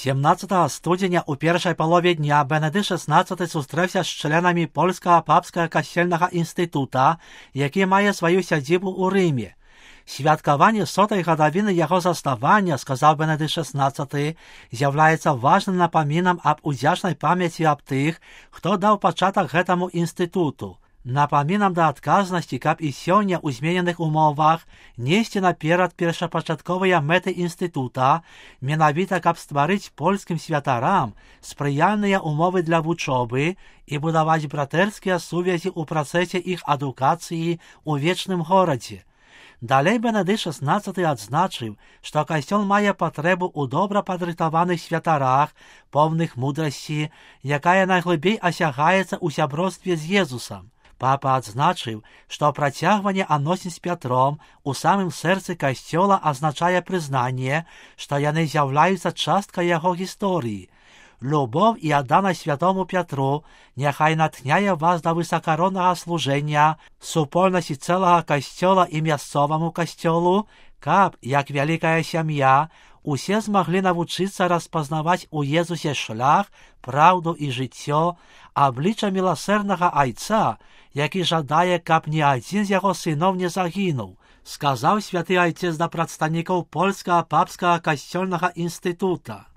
17 студеня у першай палове дня Бенедыкт XVI сустрэўся з членамі Польскага папскага касцельнага інстытута, які мае сваю сядзібу ў Рыме. Святкаванне 100-й гадавіны яго заснавання, сказаў Бенедыкт XVI, з'яўляецца важным напамінам аб удзячнай памяці аб тых, хто даў пачатак гэтаму інстытуту. Напамінам да адказнасці, каб і сёння ў змененых умовах несці наперад першапачатковыя мэты інстытута, менавіта каб стварыць польскім святарам спрыяльныя умовы для вучобы і будаваць братэрскія сувязі ў працэсе іх адукацыі ў вечным горадзе. Далей Бенедыкт XVI адзначыў, што касцёл мае патрэбу ў добра падрыхтаваных святарах, поўных мудрасці, якая найглыбей асягаецца ў сяброўстве з Езусам. Папа адзначыў, што працягванне адносін з Пятром у самым сэрцы касцёла азначае прызнанне, што яны з'яўляюцца часткай яго гісторыі. Любоў і адданасць святому Пятру няхай натхняе вас да высакароннага служэння, супольнасці цэлага касцёла і мясцоваму касцёлу, каб, як вялікая сям'я, усе змаглі навучыцца распазнаваць у Езусе шлях, праўду і жыццё, аблічча міласэрнага Айца, які жадае, каб ні адзін з яго сыноў не загінуў, сказаў святы айцец да прадстаўнікоў Польскага папскага касцёльнага інстытута.